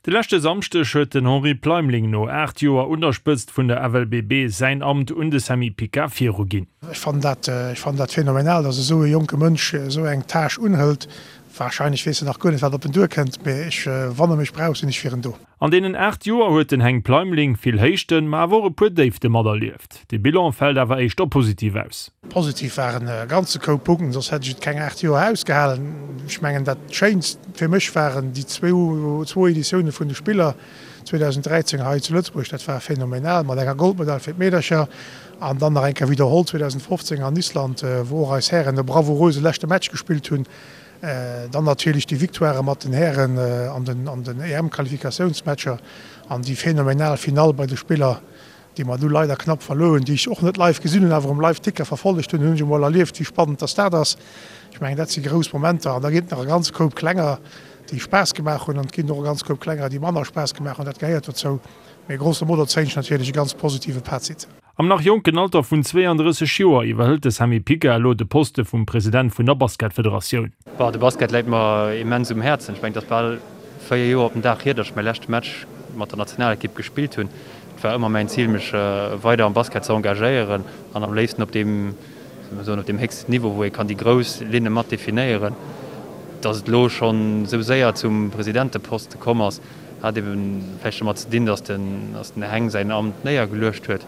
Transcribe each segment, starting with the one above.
De leschte Samschdeg huet den Henri Pleimling no 8 Joer un der Spëtzt vun der FLBB säin Amt un de Sammy Pica viruginn. Ech fannen dat, ech fannen dat phänomenal, dass esou e jonke Mënsch esou eng Tâche unhëlt. Wahrscheinlech weess en nach guer net, wat op en duerkënnt, mee ech, wann e mech brauch, sinn ech fir en do. An deenen 8 Joer huet den Heng Pleimling vill Héichten, ma awer och e puer Déifte materlieft. De Bilan fält awer éischter positiv aus. Positiv waren e ganze Koup Punkten, soss hätt ech et keng 8 Joer ausgehalen. Ech mengen dat schéinst fir mech waren déi zwou Editioune vun de Spiller 2013 hei zu Lëtzebuerg, dat war phänomenal mat enger Goldmedail fir d'Meedercher an dann nach eng Kéier widderholl 2015 an Island, wou och eis Hären e bravouröse leschte Match gespillt hunn. Dann natierlech déi Victoirë mat den Hären an den EM-Qualifikatiounsmatcher an déi phänomenal Finall bei de Spiller, déi mer du leider knapp verluer hunn, déi ech och net live gesinn hunn, awer um Live-Ticker verfollegt hunn, hunn ech emol erlieft, wéi spannend dass dat ass. Ech mengen, dat si grouss Momenter. An da ginn et nach e ganze Koup klenger, déi Spaass gemaach hunn, an et ginn och e ganz Koup klenger, déi manner Spaass gemaach hunn. Dat gehéiert dozou. Mee grosso modo zéien ech natierlech e ganz positive Fazit. Am nach jonken Alter vun 32 Joer iwwerhëlt de Sammy Pica elo de Poste vum President vun der Basketfederatioun. Bon, de Basket läit mer immens um Häerzen. Ech mengen, et ass bal 4 Joer op den Dag hier, datt ech mäi leschte Match mat der Nationalekipp gespillt hunn. Et war ëmmer mäin Zil, mech weider am Basket ze engagéieren an am léifsten op deem, soll mer soen, op deem héchsten Niveau, wou ee kann déi grouss Linne mat definéieren. Datt et elo schonn esou séier zum Presidenteposte komm ass, Hat eben vläicht domat ze dinn, datt den Heng säin Amt néiergeluecht huet.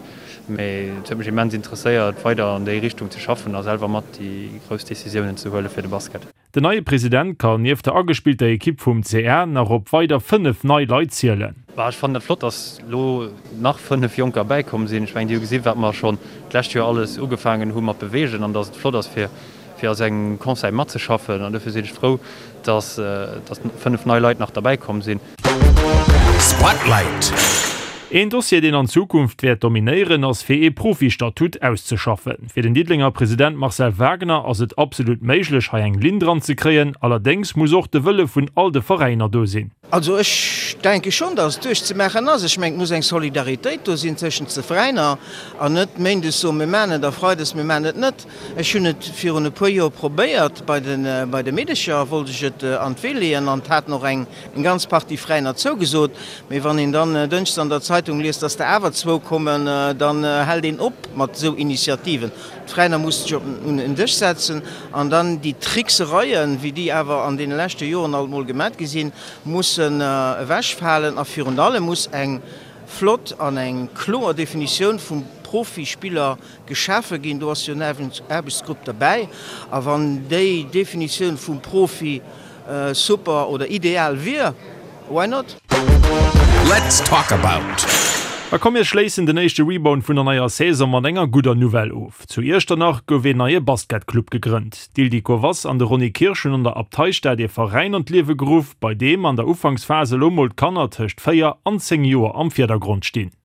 Mee et huet mech immens interesséiert, weider an déi Richtung ze schaffen a selwer mat déi grouss Decisiounen ze huele fir de Basket. Den neie President kann nieft der agespillter Ekipp vum CR nach op weider 5 nei Leit zielen. Ech fannen et flott, datt elo nach 5 Jonker bäikomm sinn. Ech mengen, déi hu gesinn, wat mer schonn d'lescht Joer alles ugefaangen hu mat beweegen an datt et flott ass, fir fir a sou engem Conseil matzeschaffen an dofir sinn ech frou, dass dass 5 nei Leit nach derbäi komm sinn. Spotlight. Een Dossier, deen an Zukunft wäert dominéieren, ass fir ee Profi-Statut auszeschaffen. Fir den Diddelenger President Marcel Wagner ass et absolut méiglech, hei eng Linn dran ze kréien. Allerdéngs muss och de Wëlle vun all de Veräiner do sinn. Also ech denke schonn, datt et duerchzemaachen ass. Ech mengen, et muss eng Solidaritéit do sinn tëschent de Veräiner an net méindes soen, mir maachen et a freides, mir maachen et net. Ech hunn et virun e puer Joer probéiert bei de bei de Meedecher, wollt ech et an d'Wee leeën an et haten och eng ganz Partie Veräiner zougesot. Mee wann een dann dënschdes an der Zeitung liest, datt der awer zwou kommen, dann hält een op mat esou Initiativen. D'Veräiner musse sech op un en Dësch setzen an dann déi Tricksereien, wéi déi awer an deene leschte Joren alt mol gemat gi sinn, mussen ewechfalen. A virun allem muss eng flott an eng kloer Definitioun vum Profispiller geschafe ginn. Do ass jo en Aarbechtsgrupp derbäi. A wann déi Definitioun vum Profi super oder ideal wier, why not? Let's talk about. A komm mir schléissen den éischte Rebound vun der neier Saison mat enger gudder Nouvelle of. Zu Iechternach gouf een neie Basketclub gegrënnt. D'Ildiko Wass an de Ronny Kirsch hunn an der Abteistad ee Veräin an d'Liewe geruff, bei deem an der Ufanksphas elo mol d'Kanner tëscht 4 an 10 Joer am Virdergrond stinn.